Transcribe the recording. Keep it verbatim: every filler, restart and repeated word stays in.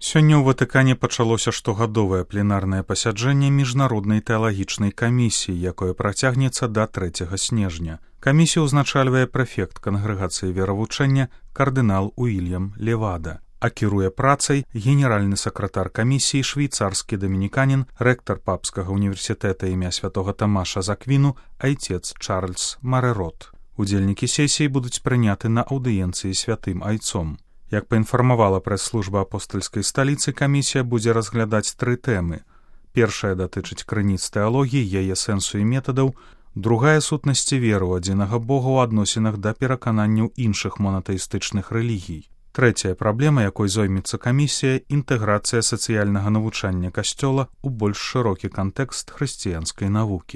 Сёння ў Ватыкане пачалося штогадовае пленарнае пасяджэнне міжнароднай тэалагічнай камісіі, якое працягнецца да трэцяга снежня. Камісію ўзначальвае прэфект кангрэгацыі веравучэння кардынал Уільям Левада, а кіруе працай генеральны сакратар камісіі швейцарскі дамініканін, рэктар папскага універсітэта імя святога Тамаша з Аквіну, айцец Чарльз Марэрот. Удзельнікі сесіі будуць прыняты на аўдыенцыі святым айцом. Як паінфармавала прэс-служба апостальскай сталіцы, камісія будзе разглядаць тры тэмы. Першая датычыць крыніц тэалогіі, яе сэнсу і метадаў, другая сутнасці веры ў адзінага Бога ў адносінах да перакананняў іншых монатэістычных рэлігій. Трэцяя праблема, якой зоймецца камісія, інтэграцыя сацыяльнага навучання касцёла ў больш шырокі кантэкст хрысціянскай навукі.